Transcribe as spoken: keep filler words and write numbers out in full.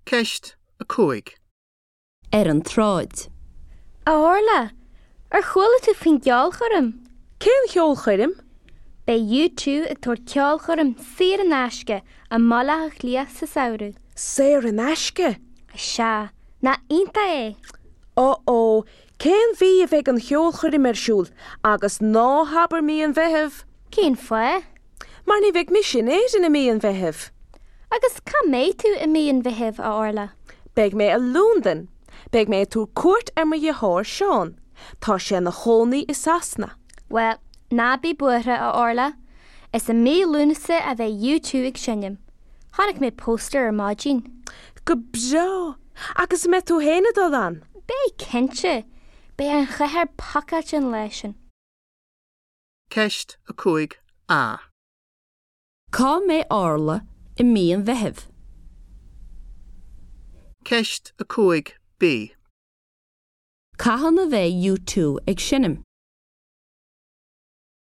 Ceist a cúig. Ar an tsráid. A Orla, ar chuala tú faoin gceolchoirm? Cén cheolchoirm? Beidh U two ag tabhairt ceolchoirm saor in aisce i mBaile Átha Cliath sa samhradh. Saor in aisce? Sea, nach iontach é? Ó ó, cén mhí a bheidh an cheolchoirm ar siúl agus ná habair mí an Mheithimh? Cén fáth? Mar ní bheidh mise in Éirinn i mí an Mheithimh. Agus cá mbeidh tú i mí an Mheithimh, a Orla? Beidh mé i Londain. Beidh mé ag tabhairt cuairt ar mo dheartháir Seán. Tá sé ina chónaí i Sasana. Well, ná bí buartha, a Orla. Is i mí Lúnasa a bheidh U two ag seinm. Chonaic mé póstaer ar maidin. Go breá! Agus an mbeidh tú féin ag dul ann? Beidh cinnte. Beidh an chathair pacáilte an lá sin. Ceist a cúig A. Cá mbeidh Orla i mí an Mheithimh? Ceist a cúig B. Cathain a bheidh U two ag seinm?